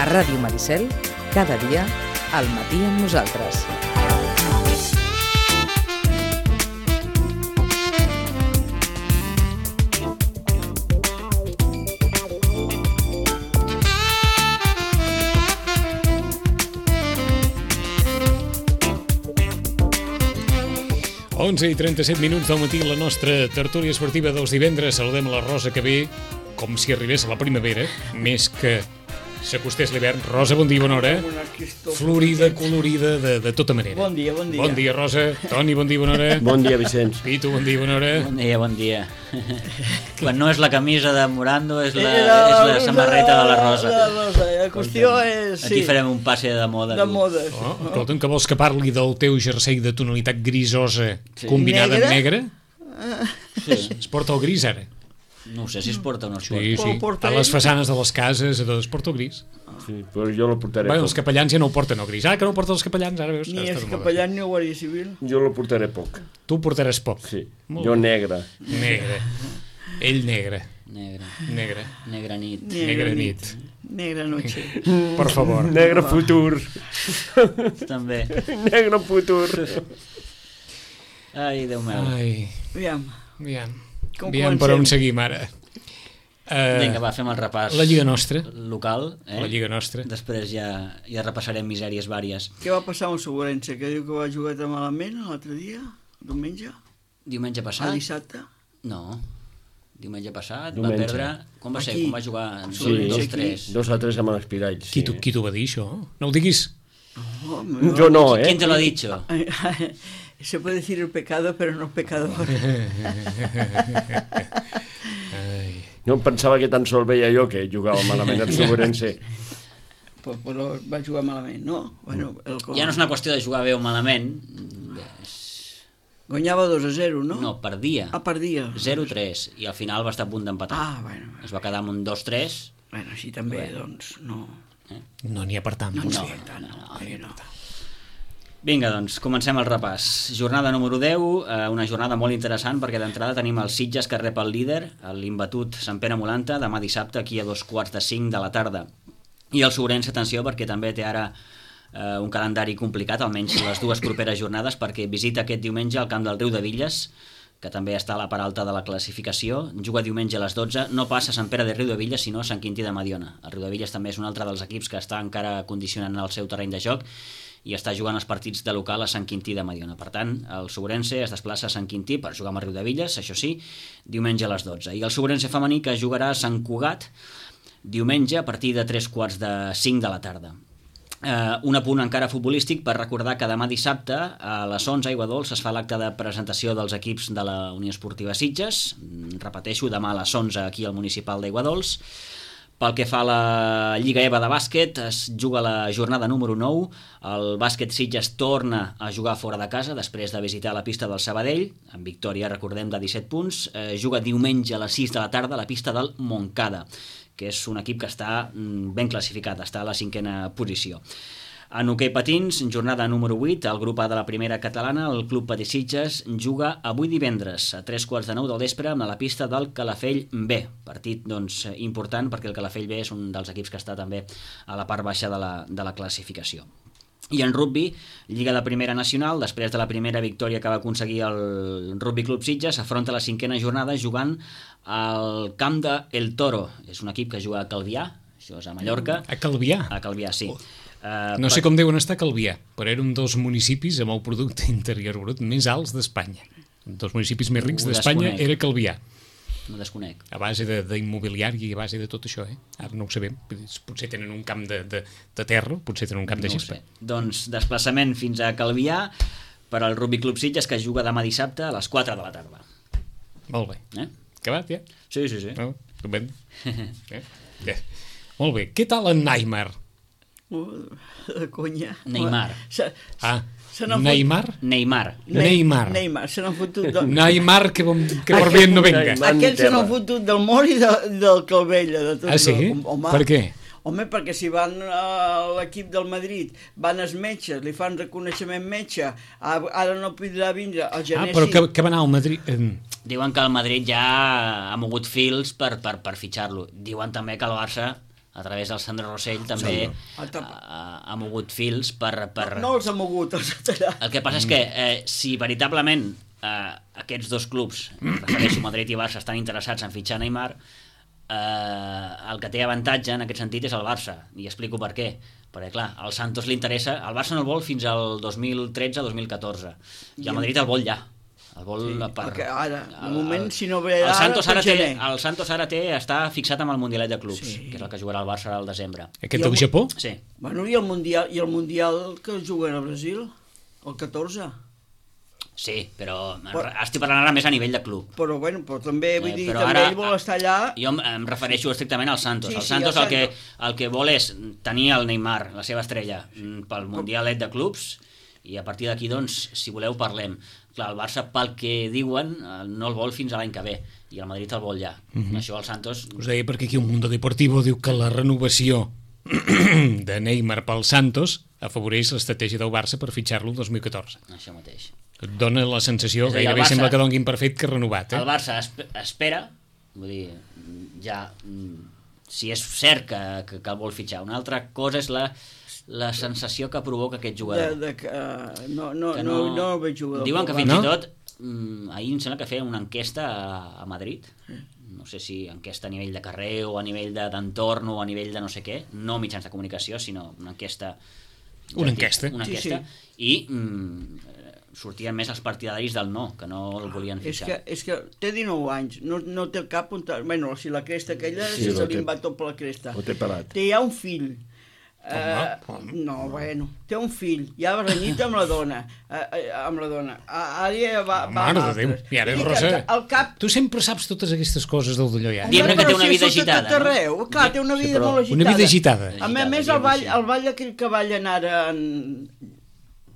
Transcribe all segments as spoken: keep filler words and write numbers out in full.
A Ràdio Maricel, cada dia, al matí amb nosaltres. onze i trenta-set minuts del matí, la nostra tertúlia esportiva dels divendres. Saludem la Rosa, que ve com si arribés a la primavera, més que s'acostés l'hivern. Rosa, bon dia, bona hora. Florida, colorida, de, de tota manera. Bon dia, bon dia. Bon dia, Rosa. Toni, bon dia, bona hora. Bon dia, Vicenç. Pitu, bon dia, bona hora. Bon dia, bon dia. Quan no és la camisa de Morando, és la, és la samarreta de la Rosa. La Rosa, la qüestió és... Aquí farem un passe de moda. De modes. Oh, escolta'm, que vols que parli del teu jersei de tonalitat grisosa combinada amb negre? Sí. Es porta el gris, ara? No ho sé si es porta o no es porta. Sí, sí. A les façanes de les cases es porta el gris. Sí, però jo lo portaré bueno, poc. Els capellans ja no ho porten el gris. Ah, que no ho porten els capellans, ara veus? Ni els capellans ni el Guàrdia Civil. Jo lo portaré poc. Tu portaràs poc. Sí, Molt jo bé. negre. Negre. Ell negre. Negre. Negre. Negra nit. Negra nit. Negra noche. Per favor. Negre futur. També. Negre futur. Ai, Déu meu. Ai, Aviam. aviam. Com Aviam per on seguim ara. Uh, Vinga, va, fem el repàs. La Lliga Nostra. Local, eh? La Lliga Nostra. Després ja, ja repassarem misèries vàries. Què va passar amb el Segurense? Que diu que va jugar tan malament l'altre dia? Diumenge? Diumenge A passat? dissabte? No. Diumenge passat Diumenge. va perdre... Com va ser? Aquí. Com va jugar? Sí, dos tres. Dos a tres amb l'Espirall. Qui t'ho qui t'ho va dir, això? No ho diguis. Oh, me Jo no, eh? ¿Quién te lo ha dicho? Se puede decir el pecado, pero no pecador. Ai. No pensava que tan sol veia jo que jugava malament el Segurense. Però, però va jugar malament, no? Bueno, el... Ja no és una qüestió de jugar bé o malament. Guanyava dos a zero, no? No, perdia. Ah, perdia. zero tres. I al final va estar a punt d'empatar. Ah, bueno. Es va quedar amb un dos tres. Bueno, així també, Bé. doncs, no... No n'hi ha per tant. No, potser. no, tant, no, no, no, no. Vinga, doncs, comencem el repàs. Jornada número deu, eh, una jornada molt interessant perquè d'entrada tenim el Sitges que rep el líder, l'imbatut Sant Pere Molanta, demà dissabte aquí a dos quarts de cinc de la tarda. I el Segurense, atenció, perquè també té ara eh, un calendari complicat, almenys les dues properes jornades, perquè visita aquest diumenge al camp del Riudevilles, que també està a la part alta de la classificació, juga diumenge a les dotze, no passa a Sant Pere de Riudevilles, sinó a Sant Quintí de Mediona. El Riudevilles també és un altre dels equips que està encara condicionant el seu terreny de joc i està jugant els partits de local a Sant Quintí de Mediona. Per tant, el Segurense es desplaça a Sant Quintí per jugar amb el Riudevilles, això sí, diumenge a les dotze. I el Segurense femení que jugarà a Sant Cugat diumenge a partir de tres quarts de cinc de la tarda. Uh, un apunt encara futbolístic per recordar que demà dissabte a les onze a Aiguadols es fa l'acte de presentació dels equips de la Unió Esportiva Sitges. Repeteixo, demà a les onze aquí al municipal d'Aiguadols. Pel que fa a la Lliga EVA de bàsquet, es juga la jornada número nou. El bàsquet Sitges torna a jugar fora de casa després de visitar la pista del Sabadell, amb victòria, recordem, de disset punts. Eh, juga diumenge a les sis de la tarda a la pista del Montcada, que és un equip que està ben classificat, està a la cinquena posició. En hoquei patins, jornada número vuit, el grup A de la primera catalana, el Club Patí Sitges, juga avui divendres a tres quarts de nou del vespre a la pista del Calafell B. Partit doncs, important perquè el Calafell B és un dels equips que està també a la part baixa de la, de la classificació. I en rugby, Lliga de Primera Nacional, després de la primera victòria que va aconseguir el Rugby Club Sitges, afronta la cinquena jornada jugant al camp de El Toro. És un equip que juga a Calvià, això és a Mallorca. A Calvià? A Calvià, sí. Uh, No sé com deuen estar a Calvià, però era un dels municipis amb el producte interior brut més alts d'Espanya. Un dels municipis més rics Ho d'Espanya desconec. era Calvià. No desconec. A base d'immobiliari i a base de tot això, eh? Ara no ho sabem. Potser tenen un camp de, de, de terra, potser tenen un camp de No ho gespa. sé. Doncs desplaçament fins a Calvià per al Rugby Club Sitges, que juga demà dissabte a les quatre de la tarda. Molt bé. Eh? Acabat, ja? Sí, sí, sí. No? Estupendo. eh? Ja. Molt bé. Què tal en Neymar? De conya. Neymar. Se, Ah, se n'han Neymar? Neymar. fot- Neymar. Neymar, se n'han fotut... De... Neymar, que, bon, que por bien no venga. Neymar. Aquests se n'han fotut del Mori i de, del Calvella. De tot Ah, sí? Home, Per què? Home, perquè si van a l'equip del Madrid, van els metges, li fan reconeixement metge, ara no podrà vindre, el Ah, gener però sí. que, que va anar al Madrid... Eh, Diuen que el Madrid ja ha mogut fils per, per, per fitxar-lo. Diuen també que el Barça, a través del Sandro Rossell, també ha, ha, ha mogut fils per... per... No els ha mogut, els ha tallat. El que passa és que eh, si veritablement eh, aquests dos clubs, refereixo Madrid i Barça, estan interessats en fitxar Neymar, eh, el que té avantatge en aquest sentit és el Barça, i explico per què. Perquè, clar, al Santos li interessa... El Barça no el vol fins al dos mil tretze dos mil catorze, i el Madrid el vol ja. El vol Sí, per... perquè ara, de el- moment, el- si no ve el ara, Santos ara pel té, gener. el Santos ara té, està fixat amb el Mundialet de Clubs, Sí. que és el que jugarà el Barça al desembre. aquest I del el- Japó? Sí. Bueno, i el Mundial, i el Mundial que juguen a Brasil, el catorze. Sí, però Però- estic parlant ara més a nivell de club. Però, bueno, però també, vull Eh, dir, però també ara- ell vol estar allà... Jo em, em refereixo estrictament al Santos. Sí, el sí, Santos al el, que, Santos. el que vol és tenir el Neymar, la seva estrella, mm, pel Mundialet de Clubs, i a partir d'aquí, doncs, si voleu, parlem. Clar, el Barça, pel que diuen, eh, no el vol fins a l'any que ve, i el Madrid el vol ja. Mhm. Això el Santos... Us deia perquè aquí el Mundo Deportivo diu que la renovació de Neymar pel Santos afavoreix l'estratègia del Barça per fitxar-lo el dos mil catorze. Això mateix. Et dona la sensació, És a dir, el gairebé Barça- sembla que donguin per fet que ha renovat, eh? El Barça esp espera, vull dir, ja, mm, si és cert que, que, que el vol fitxar. Una altra cosa és la, la sensació que provoca aquest De, jugador. de que, uh, no, no, Que no, no, no veig jugador. Diuen que pel fins No? i tot, mm, ahir em sembla que feien una enquesta a, a Madrid, no sé si enquesta a nivell de carrer o a nivell de- d'entorn o a nivell de no sé què, no mitjans de comunicació, sinó una enquesta... Una enquesta. Una Sí, enquesta, sí. i mm, eh, sortien més els partidaris del no, que no el volien És fitxar. que, és que té dinou anys, no, no té cap... On... Bueno, si la cresta aquella, Sí, sí, ho se té. li va tot per la cresta. Ho té pelat. Té ja un fill. Uh, no, bueno, té un fill, ja va renyit amb la dona, uh, uh, amb la dona. Uh, ara ja va, va Mare amb de Déu. altres. I ara, I que Rosa, el cap... tu sempre saps totes aquestes coses del d'allò ja. Diem Home, que té però una si vida surt a agitada, tot no? arreu. Clar, té una Sí, vida però- molt agitada. Una vida agitada. A més, a més el ball, el ball aquell que ballen ara en,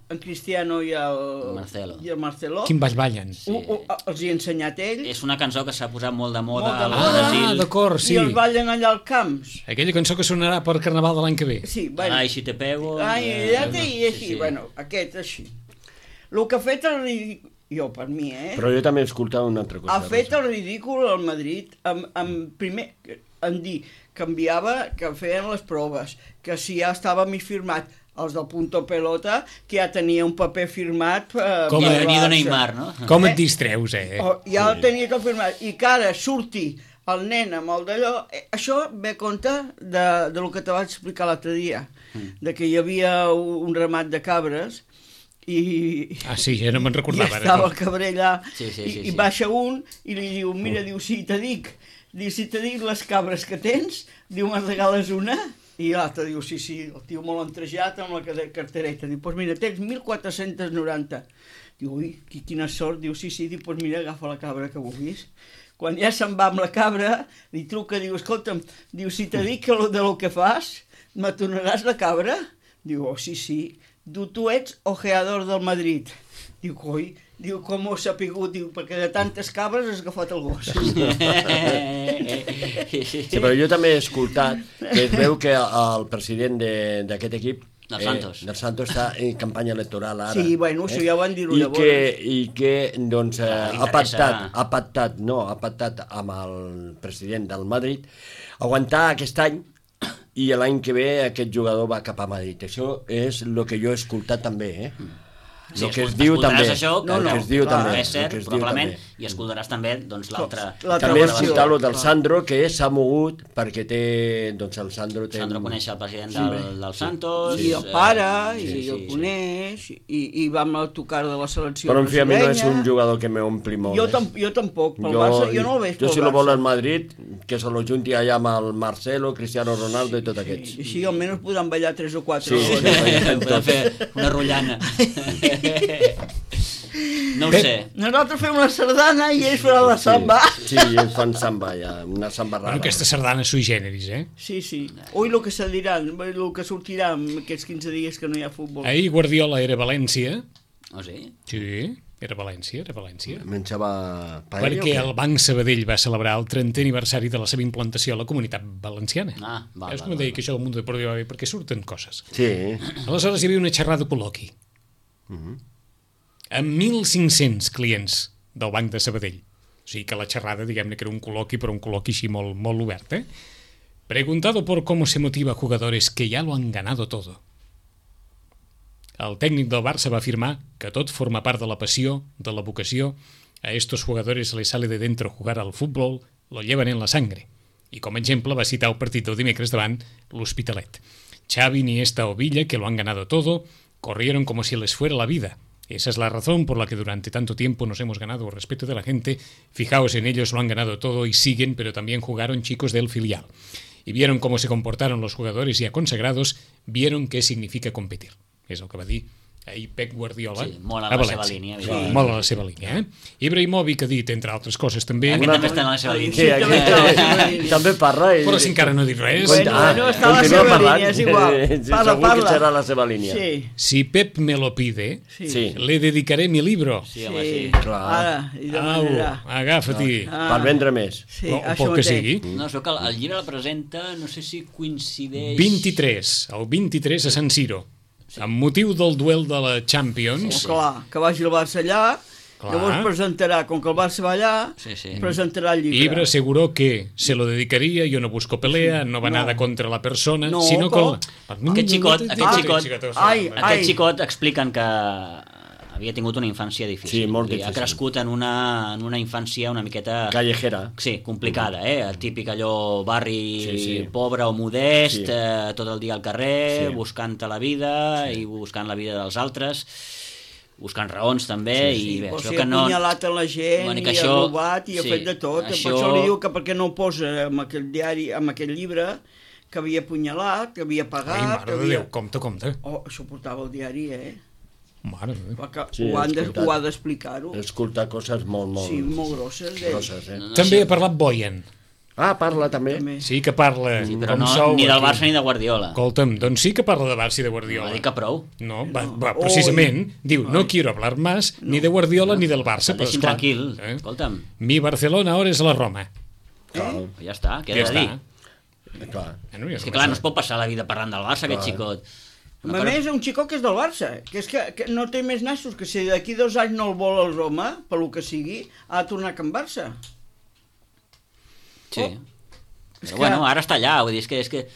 en Cristiano i el Marcelo. i el Marcelo, Quin baix ballen. Sí. ho, ho, els hi ha ensenyat ell, És una cançó que s'ha posat molt de moda Molt de al moda. Ah, Brasil. d'acord, sí. i els ballen allà al camps. Aquella cançó que sonarà per Carnaval de l'any que ve. Sí, bueno. Ai, si te pego... Ai, eh, ja té, i així, sí, sí. bueno, aquest així. El que ha fet el ridícul, jo per mi, eh? Però jo també he escoltat una altra cosa. Ha fet Rosa. el ridícul al Madrid amb, amb primer, en dir que enviava, que feien les proves, que si ja estava mig firmat, els del Punto Pelota, que ja tenia un paper firmat eh, Com I a- per venia de Barça. Neymar, no? Com Eh? et distreus, eh? Oh, ja el tenia tot firmat, i que ara surti el nen amb el d'allò, eh, això ve a compte de, de lo que te vaig explicar l'altre dia, de que hi havia un, un ramat de cabres i, Ah, sí, ja no me'n i recordava. estava ara. el cabrer allà Sí, sí, i, sí, i sí. baixa un i li diu, mira, diu, si te dic diu, si te dic les cabres que tens, diu, me'n regales una? I l'altre diu, sí, sí, el tio molt entrejat amb la cade- cartereta, diu, doncs pues mira, tens mil quatre-cents noranta. Diu, ui, qui- quina sort, diu, sí, sí, diu, doncs pues mira, agafa la cabra que vulguis. Quan ja se'n va amb la cabra, li truca, diu, escolta'm, diu, si te dic que lo de lo que fas, me tornaràs la cabra? Diu, oh, sí, sí. Diu, tu ets ojeador del Madrid. Diu, coi, diu, com ho ha sapigut? Diu, perquè de tantes cabres has agafat el gos. Sí, però jo també he escoltat que es veu que el president de- d'aquest equip Del Santos. Eh, del Santos està en campanya electoral ara. Sí, bueno, això ja ho van dir-ho I llavors. que, I que, doncs, eh, Ah, li ha interessa. pactat, ha pactat, no, ha pactat amb el president del Madrid aguantar aquest any i l'any que ve aquest jugador va cap a Madrid. Això és el que jo he escoltat també, eh? Sí, el que es escol- diu escoltaràs també. això, No, el no, que es diu clar, també. és cert, el que es diu probablement, també. i escoltaràs també doncs, l'altra... L'altra També he versió. escoltat el del Clar. Sandro, que s'ha mogut perquè té... Doncs el Sandro té... Sandro coneix el president del, del Santos... I el eh, pare, sí, i sí, el sí. coneix, i, i va amb el tocar de la selecció Però en fi, a mi no és brasileña. un jugador que m'ompli molt. Jo, eh? tam jo tampoc, pel Barça, jo no el veig Jo pel si lo vol Barça. al Madrid, que se lo junti allà amb el Marcelo, Cristiano Ronaldo i tots aquests. I així almenys podran ballar tres o quatre. Sí, hores. Podem fer una rotllana. No ho Pep. sé. Nosaltres fem la sardana i ells faran la samba. Sí, sí, ells fan samba, ja, una samba rara. Bueno, aquesta sardana sui generis, eh? Sí, sí. Ui, el que se diran, el que sortirà en aquests quinze dies que no hi ha futbol. Ahir Guardiola era a València. Oh, sí? Sí, era a València, era a València. Menjava paella Perquè o el què? Banc Sabadell va celebrar el trentè aniversari de la seva implantació a la comunitat valenciana. Ah, val, És val, com val, deia que això del Mundo Deportiu va bé perquè surten coses. Sí. Aleshores hi havia una xerrada col·loqui amb mil cinc-cents clients del Banc de Sabadell. O sigui que la xerrada, diguem-ne que era un col·loqui, però un col·loqui així molt, molt obert, eh? Preguntado por cómo se motiva a jugadores que ya lo han ganado todo. El tècnic del Barça va afirmar que tot forma part de la passió, de la vocació. A estos jugadores les sale de dentro jugar al fútbol, lo llevan en la sangre. I com a exemple va citar el partit del dimecres davant l'Hospitalet. Xavi, Iniesta o Villa, que lo han ganado todo, corrieron como si les fuera la vida. Esa es la razón por la que durante tanto tiempo nos hemos ganado el respeto de la gente. Fijaos en ellos, lo han ganado todo y siguen, pero también jugaron chicos del filial. Y vieron cómo se comportaron los jugadores ya consagrados, vieron qué significa competir. És el que va dir ahir Pep Guardiola Sí, molt a a la seva València. línia, Sí, evidentment. molt a la seva línia, eh? Ibrahimovic ha dit, entre altres coses, també... Aquest també està en la seva Sí, línia. Sí, també està a la seva aquí, línia. també parla. I... Però si encara no ha dit res... Bueno, Ah, bueno, està a la continua seva parlant. línia, és igual. Sí, Parla, segur que parla. serà la seva línia. Sí, Si Pep me lo pide, sí. Sí. le dedicaré mi libro. Sí, home, sí. Clar. Ara, i Au, demanarà. agafa-t'hi. Ah. Per vendre més. Sí, O, o això pel que mateix. sigui. No, es veu que el, el llibre el presenta, no sé si coincideix... vint-i-tres, el vint-i-tres a San Siro. Amb motiu del duel de la Champions. Oh, clar, que vagi el Barça allà, Clar. llavors presentarà, com que el Barça va allà, Sí, sí. presentarà el llibre. Ibra aseguró que se lo dedicaría, yo no busco pelea, no va No. nada contra la persona, No, sino com? con... Aquest xicot, aquest xicot, Ai, aquest ai. xicot expliquen que havia tingut una infància difícil. Sí, molt Vull dir, Ha difícil. crescut en una, en una infància una miqueta... Callejera. Sí, complicada, eh? El típic allò barri Sí, sí. pobre o modest, Sí. eh, tot el dia al carrer, Sí. buscant-te la vida i buscant la vida dels altres, buscant raons també, Sí, i bé, o això sigui, que ha no... apunyalat a la gent, Bueno, i que ha això- robat, i ha sí, fet de tot. això- Per això li diu que per què no ho posa en aquell diari, en aquell llibre, que havia apunyalat, que havia pagat... Ai, que mare de havia... Déu, compte, compte. Oh, això portava el diari, eh? Mare de Déu. Perquè Sí, ho, han de, escoltat. ho ha d'explicar-ho. Escoltar coses molt, molt... Sí, molt grosses. d'ell. grosses, eh? no També sé. ha parlat Boyan. Ah, parla també. També. Sí que parla, Sí, però com no, sou. ni del aquí. Barça ni de Guardiola. Escolta'm, doncs sí que parla de Barça i de Va Guardiola. dir que prou. No, va, No. va, precisament, diu, no quiero hablar más ni de Guardiola ni del Barça. El Però, deixin esclar, tranquil. eh? Escolta'm, Mi Barcelona ahora es la Roma. Clar, ja està, què Ja ha de dir? està. clar. Bueno, ja És que clar, no es pot passar la vida parlant del Barça, aquest xicot. A més, un xicó que és del Barça, que és que, que no té més nassos, que si d'aquí dos anys no el vol el Roma, per lo que sigui, ha de tornar a Can Barça. Sí. Oh. Però És que- bueno, ara està allà, vull dir, és que... És que...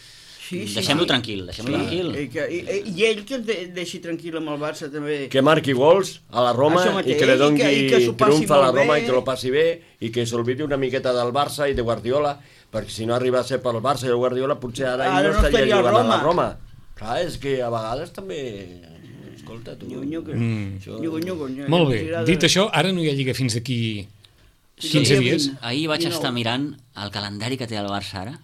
Sí, sí, Deixem-lo sí. tranquil, deixem-lo tranquil. I, que, i, I ell que es de, deixi tranquil amb el Barça també. Que marqui gols a la Roma Això i mateix, que li doni i que- i que s'ho passi triomf a la molt Roma bé. i que lo passi bé i que s'olvidi una miqueta del Barça i de Guardiola, perquè si no arriba a ser pel Barça i el Guardiola potser ara, ell Ara no no estaria estaria a jugant a Roma. la Roma. Clar, és que a vegades també... Escolta, tu... Nyugo, nyugo. Mm. Això- Nyugo, nyugo, nyugo. Molt bé, Ens agrada. dit això, ara no hi ha lliga fins d'aquí Sí, quinze sí, dies. vint. Ahir vaig dinou. estar mirant el calendari que té el Barça ara.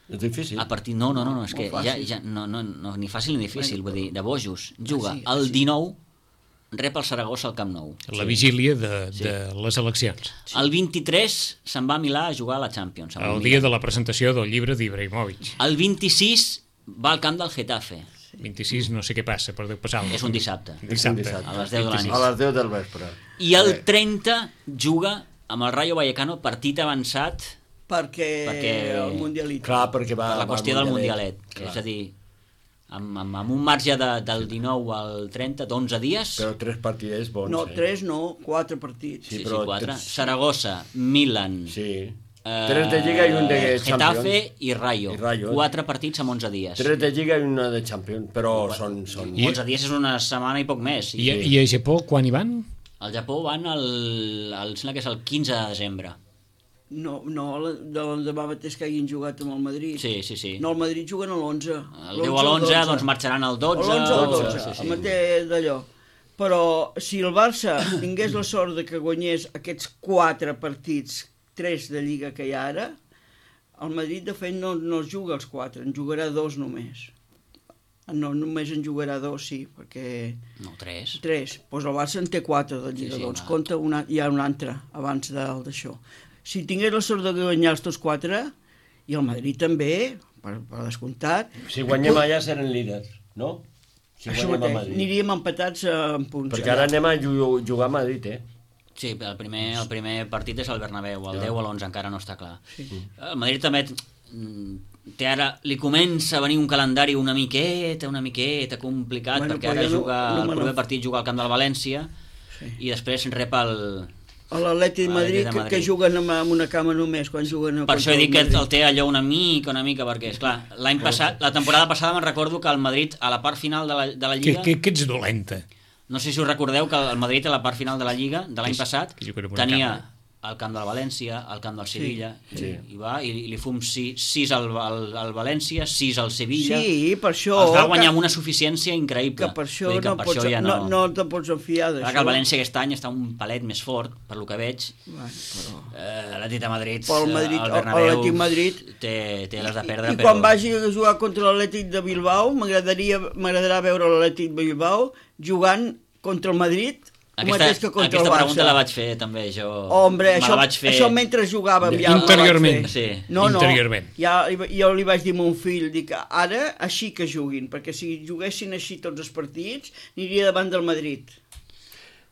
És difícil. A partir... No, no, no, no és que Molt ja, fàcil. ja no, no, no, ni fàcil ni difícil, vull dir, de bojos. Juga sí, el sí. dinou, rep el Saragossa al Camp Nou. La vigília de, de les eleccions. El vint-i-tres se'n va a Milà a jugar a la Champions. amb El Milan. dia de la presentació del llibre d'Ibrahimovic. El vint-i-sis va al camp del Getafe. vint-i-sis no sé què passa, per Déu passar-lo. És un dissabte. Dissabte. dissabte. A les deu de la nit. A les deu del vespre. I el trenta juga amb el Rayo Vallecano, partit avançat Perquè, Perquè- el Mundialit. Clar, perquè va... per la va qüestió al del Mundialet. Mundialet. Clar. És a dir, amb, amb, amb un marge de, del dinou al trenta, d'onze dies, Però tres partidets bons, No, eh? tres no, quatre partits. sí, Sí, sí, però quatre. tres- Saragossa, Milan, Sí. eh, Tres de Lliga i un de Getafe Champions. i Rayo. I Rayo. Quatre partits amb onze dies. Tres de Lliga i una de Champions, però són... són... I- onze dies és una setmana i poc més. I, I, I a Japó, quan hi van? al Japó van el, el, em sembla que és el quinze de desembre. No, no, la- de l'endemà mateix que hagin jugat amb el Madrid. Sí, sí, sí. No, el Madrid juguen a l'onze. El deu a l'onze, doncs marxaran al dotze. A l'onze o al o- dotze, sí, el sí. mateix d'allò. Però si el Barça tingués la sort de que guanyés aquests quatre partits, tres de Lliga que hi ha ara, el Madrid, de fet, no, no els juga els quatre, en jugarà dos només. No, només en jugarà dos, sí, perquè... No, tres. Tres. Doncs pues el Barça en té quatre de Lliga, Sí, sí, doncs una... compta una, hi ha un altre abans del d'això. Si tingués la sort de guanyar els tots quatre, i el Madrid també, per, per descomptat... Si guanyem allà serem líders, no? Si Això guanyem a mateix, Madrid. aniríem empatats en punts. Perquè ara anem a ju- jugar a Madrid, eh? Sí, el primer, el primer partit és el Bernabéu, el deu o l'onze encara no està clar. Sí. El Madrid també mm, té ara, li comença a venir un calendari una miqueta, una miqueta complicat, Bueno, perquè però ara jo no- juga, no el me primer n'en- partit juga al camp del València Sí. i després rep el... L'Atlètic de Madrid, de que, Madrid. que juguen amb, amb una cama només, quan juguen... Per això he dit que el té allò una mica, una mica, perquè, esclar, l'any passat, la temporada passada me'n recordo que el Madrid, a la part final de la, de la Que, Lliga... que, que ets dolenta. No sé si us recordeu que el Madrid a la part final de la Lliga de l'any Que- passat que juguen amb una tenia cama. el camp del València, el camp del Sevilla, Sí. i, i va, i, i li fum sis, sis al, al, al València, sis al Sevilla... Sí, per això... Els va guanyar que, amb una suficiència increïble. que per això, Vull dir que no, per pots, això ja no, no... no te pots enfiar Clar d'això. que el València aquest any està un palet més fort, per lo que veig. Bueno, però... Eh, L'Atlètic de Madrid, Pel Madrid, el el- Bernabéu, l'Atlètic Madrid. té, té les de perdre, I però... quan vagi a jugar contra l'Atlètic de Bilbao, m'agradaria m'agradarà veure l'Atlètic de Bilbao jugant contra el Madrid, el Aquesta, mateix que contra aquesta el Barça. pregunta la vaig fer també jo. Hombre, Me això, la vaig fer... això mentre jugàvem ja Interiorment. la vaig fer. Sí, no, no, interiorment. Ja, jo li vaig dir a mon fill, dic, ara així que juguin, perquè si juguessin així tots els partits, aniria davant del Madrid.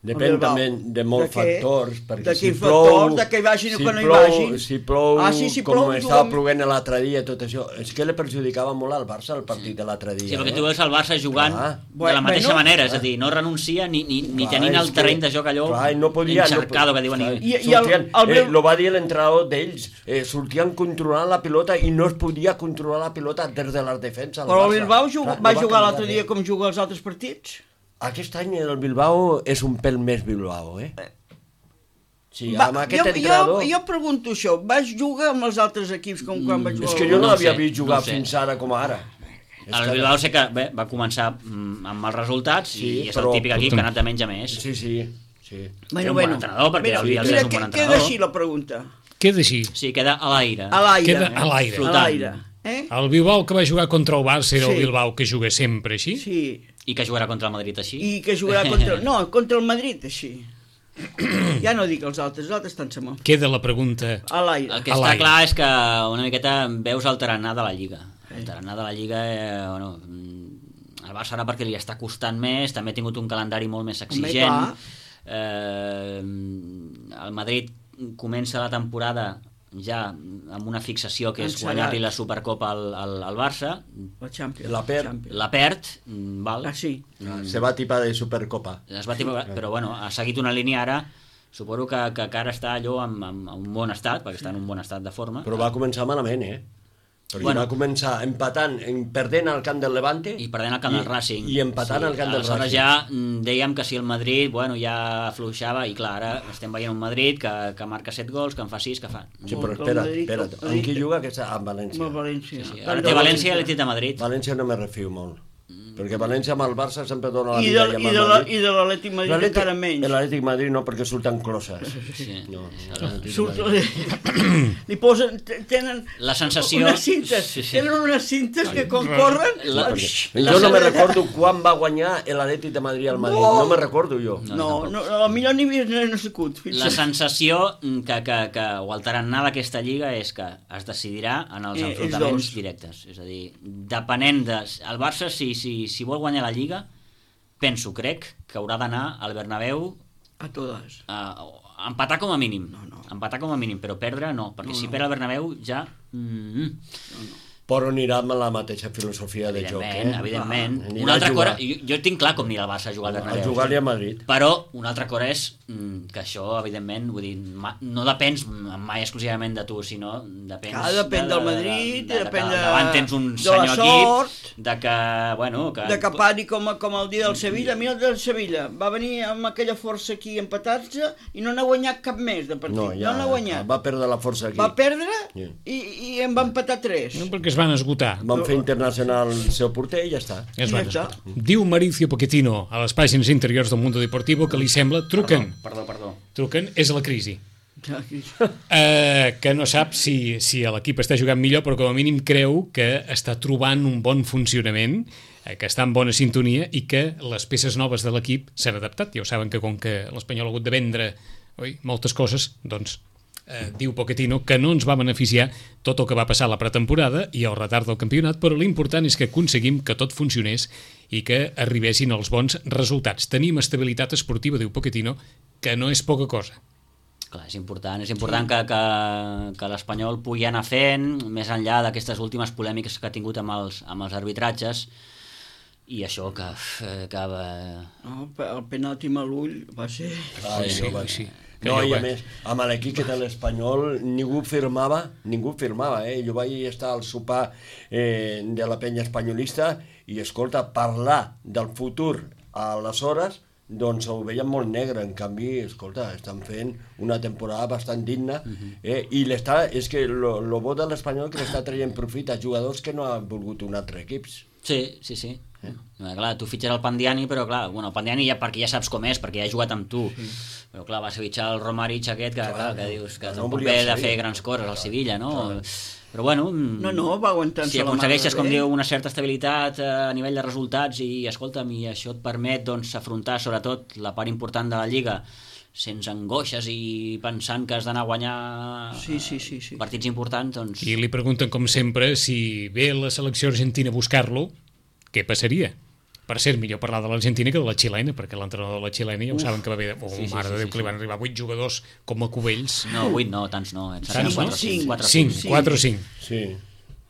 Depèn El Bilbao. també de molts De què? factors, perquè De si quins plou... factors, de que hi vagin o si que no hi plou, vagin. Si plou, Ah, sí, si com plou, estava juguem- ploent l'altre dia, tot això, és que li perjudicava molt al Barça el partit de l'altre dia. Sí, perquè eh? tu veus el Barça jugant Clar. de la mateixa Bueno, manera, és a dir, no renuncia ni, ni, ni Clar, tenint és el que- terreny de joc allò clar, i no podia, encharcado, no, que diuen. clar, I, I- i el- sortien, el eh, meu- lo va dir l'entrenador d'ells, eh, sortien controlant la pilota i no es podia controlar la pilota des de la defensa del Però el Barça. Bilbao jug, Clar, no va jugar canviar l'altre dia res. com juga els altres partits? Aquest any el Bilbao és un pèl més Bilbao, eh? Sí, Va, amb aquest jo, entrenador... jo, jo pregunto això, vas jugar amb els altres equips com quan vas jugar? És que jo no No l'havia sé, vist jugar no sé. fins ara com ara. És el que- Bilbao sé que bé, va començar mm, amb mals resultats Sí, i és però- el típic equip que ha anat de menys a més. Sí, sí, sí. Té un bon entrenador, perquè mira, el Bielsa mira, és un bon que- entrenador. Queda així la pregunta, Queda així. Sí, queda a l'aire. a l'aire. Queda a l'aire. A Flotant. l'aire. Eh? El Bilbao que va jugar contra el Barça era Sí. el Bilbao que juga sempre així? Sí, I que jugarà contra el Madrid així. i que jugarà contra... No, contra el Madrid, així. Ja no dic els altres, els altres estan sama. Queda la pregunta. A l'aire. El que A està l'aire. clar és que una miqueta veus el tarannà de la Lliga. El tarannà de la Lliga, eh, bueno, mm, el Barça ara perquè li està costant més, també ha tingut un calendari molt més exigent. clar. Eh, el Madrid comença la temporada ja amb una fixació que és Encegat. guanyar-li la Supercopa al, al, al Barça, La Champions. La perd. Champions. la perd, mm, val? Ah, sí. Se va tipar de Supercopa. Es va tipar, però bueno, ha seguit una línia ara, suposo que, que encara està allò en, en, en un bon estat, perquè està en un bon estat de forma. Però va començar malament, eh? Perquè Bueno. va començar empatant, en- perdent al camp del Levante I perdent el camp del Racing. i empatant al camp del aleshores Racing. ja mm, dèiem que si el Madrid bueno, ja afluixava, i clar, ara estem veient un Madrid que, que marca set gols, que en fa sis, que fa... Sí, però Contra el espera't, Madrid, espera't. contra el Amb qui Madrid. juga aquesta? Amb Amb València. el València. Sí, Tant ara de té València i l'Atlètic de Madrid. València no me refio molt. Perquè València amb el Barça sempre dona la I vida de, i amb i el de, la, Madrid. i de l'Atlètic Madrid L'Atlètic- encara menys. L'Atlètic Madrid no, perquè surten closes. Sí. No, Surt, li posen, t- tenen La sensació... unes cintes, Sí, sí. tenen unes cintes que quan corren... La- Xx, La Jo no me sensació- recordo quan va guanyar l'Atlètic de Madrid al Madrid. No. No me recordo jo. No, no, no, millor ni havia nascut. La sensació que, que, que, o el tarannà d'aquesta lliga és que es decidirà en els Eh, els enfrontaments dos. directes. És a dir, depenent de... El Barça, si, si, si vol guanyar la Lliga, penso, crec, que haurà d'anar al Bernabéu A totes. a, a empatar com a mínim. No, no. Empatar com a mínim, però perdre no, perquè No, si no. perd el Bernabéu ja... Mm, Però anirà amb la mateixa filosofia de joc, evidentment, eh? evidentment. Ah, anirà Una altra a cosa, jugar. jo, jo tinc clar com anirà el Barça a jugar al A Bernabéu. jugar-li a Madrid. Però una altra cosa és mm, que això, evidentment, vull dir, ma, no depens mai exclusivament de tu, sinó depens... Clar, depèn de, del de, Madrid, de, de, depèn que de- davant tens un de la senyor sort, equip, de que, bueno... Que, De Capari com, com el dia del Sevilla. Mira el del Sevilla. Va venir amb aquella força aquí a empatar-se i no n'ha guanyat cap més de partit. No, No, ja n'ha guanyat. va perdre la força aquí. Va perdre Sí. i, i en va empatar tres. No, perquè es van esgotar. Van fer internacional el seu porter i ja està. Es Ja van està. esgotar. Diu Mauricio Pochettino a les pàgines interiors del Mundo Deportivo que li sembla... Truquen, Perdó, perdó. truquen, és la crisi. Eh, que no sap si, si l'equip està jugant millor, però com a mínim creu que està trobant un bon funcionament eh, que està en bona sintonia i que les peces noves de l'equip s'han adaptat. Ja ho saben que com que l'Espanyol ha hagut de vendre oi, moltes coses, doncs eh, diu Pochettino que no ens va beneficiar tot el que va passar a la pretemporada i el retard del campionat, però l'important és que aconseguim que tot funcionés i que arribessin els bons resultats. Tenim estabilitat esportiva, diu Pochettino, que no és poca cosa. Clar, és important, és important que, que, que l'Espanyol pugui anar fent, més enllà d'aquestes últimes polèmiques que ha tingut amb els, amb els arbitratges, i això que... que no, el penalti amb l'ull va ser... Ai, sí, no, va sí. No, i a més, amb l'equip que té l'Espanyol ningú firmava, ningú firmava, eh? Jo vaig estar al sopar eh, de la penya espanyolista i, escolta, parlar del futur a les hores, doncs ho veiem molt negre. En canvi, escolta, estan fent una temporada bastant digna, eh? I l'està, és que lo, lo bo de l'Espanyol que l'està traient profit a jugadors que no han volgut un altre equip. Sí, sí, sí. Eh? Clar, tu fitxes el Pandiani, però clar, bueno, el Pandiani ja perquè ja saps com és, perquè ja ha jugat amb tu, sí. Però clar, vas fitxar el Romarich aquest, que, clar, clar, que dius que no tampoc ve de fer grans coses al Sevilla, no? Clar. Però bueno, no, no, va aguantant-se si aconsegueixes, com diu, una certa estabilitat a nivell de resultats i, escolta'm, i això et permet doncs, afrontar sobretot la part important de la Lliga sense angoixes i pensant que has d'anar a guanyar sí, sí, sí, sí. partits importants, doncs... I li pregunten, com sempre, si ve la selecció argentina a buscar-lo, què passaria? Per cert, millor parlar de l'Argentina que de la xilena, perquè l'entrenador de la xilena ja ho saben que va haver... Oh, sí, sí, mare de Déu, sí, sí, que li van arribar vuit jugadors com a cubells. No, vuit no, tants no. Tants no? cinc, quatre o cinc. Sí.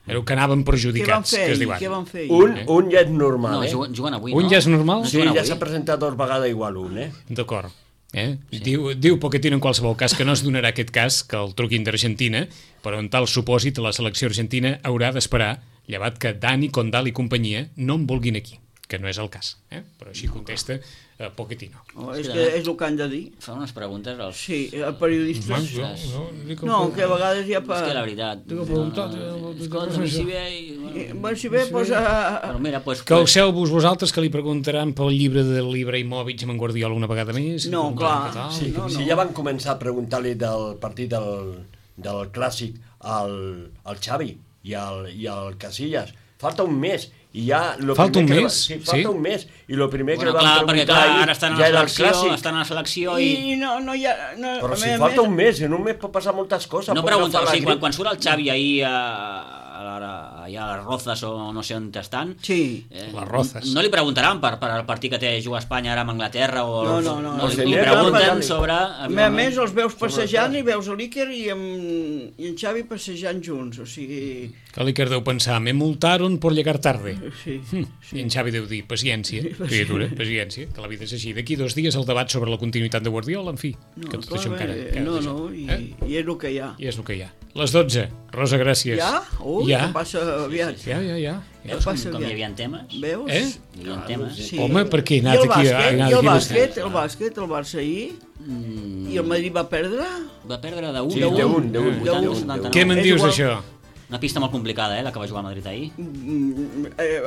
Però que anaven perjudicats, què que es diuen. Què van fer? Un, eh? un ja és normal, no, eh? Juguen, juguen avui, no? Un ja és normal? Sí, ja s'ha presentat dos vegades igual un, eh? D'acord. Eh? Sí. Diu, diu Pochettino en qualsevol cas que no es donarà aquest cas, que el truquin d'Argentina, però en tal supòsit la selecció argentina haurà d'esperar, llevat que Dani, Condal i companyia no en vulguin aquí, que no és el cas, eh? Però així contesta eh, Pochettino. Oh, és, que és el que han de dir. Fa unes preguntes als... Sí, els periodistes. No, no, no, no, que a vegades ja... Pa... És que la veritat... T'ho he preguntat... Escolta, si ve... Bueno, si ve, doncs... Però mira, pues... Calceu-vos vosaltres que li preguntaran pel llibre de l'Ibrahimovic amb en Guardiola una vegada més? No, clar. Sí, no, no. Si ja van començar a preguntar-li del partit del, del Clàssic al, al Xavi i al, i al Casillas, falta un mes i ja... Lo falta un mes? Va, sí, falta sí? un mes i el primer bueno, que li van preguntar clar, ahir ara estan a ja la era el Clàssic. Estan a la selecció i... I no, no hi ha... No, però si més, falta més... un mes, en un mes pot passar moltes coses. No pregunta, o sigui, quan, quan surt el Xavi ahir a, a, a, a les Rozas o no sé on estan, sí. eh, les Rozas. No li preguntaran per, per el partit que té jugar a Espanya ara amb Anglaterra o... No, no, no. no, no li, li pregunten sobre... A més, a més els veus passejant i veus l'Iker i, amb, i en Xavi passejant junts, o sigui... Que l'Iker deu pensar, me multaron por llegar tarde. Sí, hm. sí. I en Xavi deu dir, paciència, criatura, paciència, que la vida és així. D'aquí dos dies el debat sobre la continuïtat de Guardiola, en fi, no, que tot clar, això encara... Eh, encara no, no, i, eh? i és el que hi ha. I és el que hi ha. Les dotze. Rosa, gràcies. Ja? Ui, ja. que passa aviat. Ja, ja, ja. Veus com, passa com hi aviat. havia temes? Veus? Eh? Hi havia temes. Sí. Home, per què he I anat el aquí? bàsquet, a, i el aquí bàsquet, el bàsquet, el Barça ahir, Mm. i el Madrid va perdre? Va perdre de un. Sí, de un, de un. De un. Què me'n És dius igual. d'això? Una pista molt complicada, eh, la que va jugar a Madrid ahir. Mm, eh,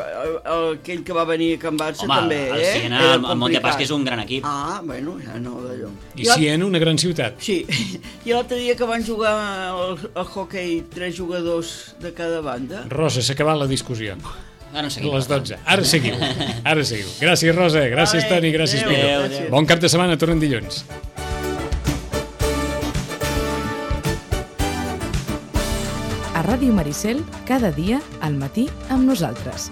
aquell que va venir a Can Barça Home, també, el eh? Siena, Era el, el Montepaschi és un gran equip. Ah, bueno, ja no d'allò. I si en una gran ciutat? Sí, i l'altre dia que van jugar al, al hockey tres jugadors de cada banda. Rosa, s'ha acabat la discussió. Ara no seguim. Les dotze. Ara seguiu. Ara seguiu. Gràcies, Rosa. Gràcies, Vale, Toni. Gràcies, adéu, Pico. gràcies. Bon cap de setmana. Tornem dilluns. A Ràdio Maricel, cada dia al matí amb nosaltres.